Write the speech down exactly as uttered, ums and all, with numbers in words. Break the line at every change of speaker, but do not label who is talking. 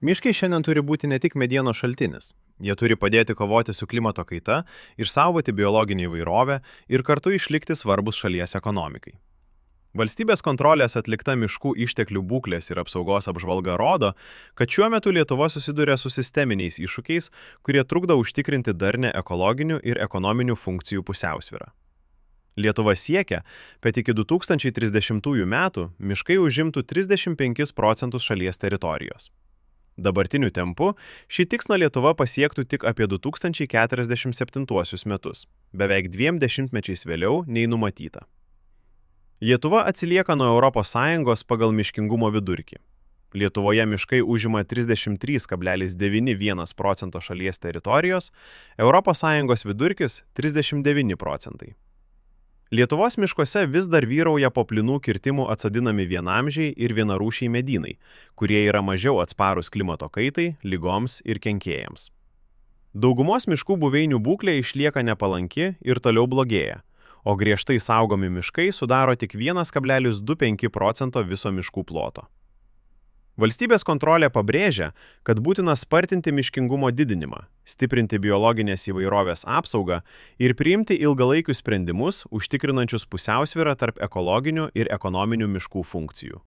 Miškai šiandien turi būti ne tik medienos šaltinis. Jie turi padėti kovoti su klimato kaita, išsaugoti biologinį įvairovę ir kartu išlikti svarbus šalies ekonomikai. Valstybės kontrolės atlikta miškų išteklių būklės ir apsaugos apžvalga rodo, kad šiuo metu Lietuva susiduria su sisteminiais iššūkiais, kurie trukdo užtikrinti darnę ekologinių ir ekonominių funkcijų pusiausvyrą. Lietuva siekia, kad iki du tūkstančiai trisdešimtųjų metų miškai užimtų trisdešimt penkis procentus šalies teritorijos. Dabartiniu tempu šį tikslą Lietuva pasiektų tik apie du tūkstančiai keturiasdešimt septintuosius metus, beveik dviem dešimtmečiais vėliau nei numatyta. Lietuva atsilieka nuo Europos Sąjungos pagal miškingumo vidurkį. Lietuvoje miškai užima trisdešimt trys kablelis devyni vienas procento šalies teritorijos, Europos Sąjungos vidurkis trisdešimt devyni procentai. Lietuvos miškuose vis dar vyrauja po plynų kirtimų atsodinami vienamžiai ir vienarūšiai medynai, kurie yra mažiau atsparūs klimato kaitai, ligoms ir kenkėjams. Daugumos miškų buveinių būklė išlieka nepalanki ir toliau blogėja, o griežtai saugomi miškai sudaro tik vienas kablelis du penki procento viso miškų ploto. Valstybės kontrolė pabrėžia, kad būtina spartinti miškingumo didinimą, stiprinti biologinės įvairovės apsaugą ir priimti ilgalaikius sprendimus, užtikrinančius pusiausvyrą tarp ekologinių ir ekonominių miškų funkcijų.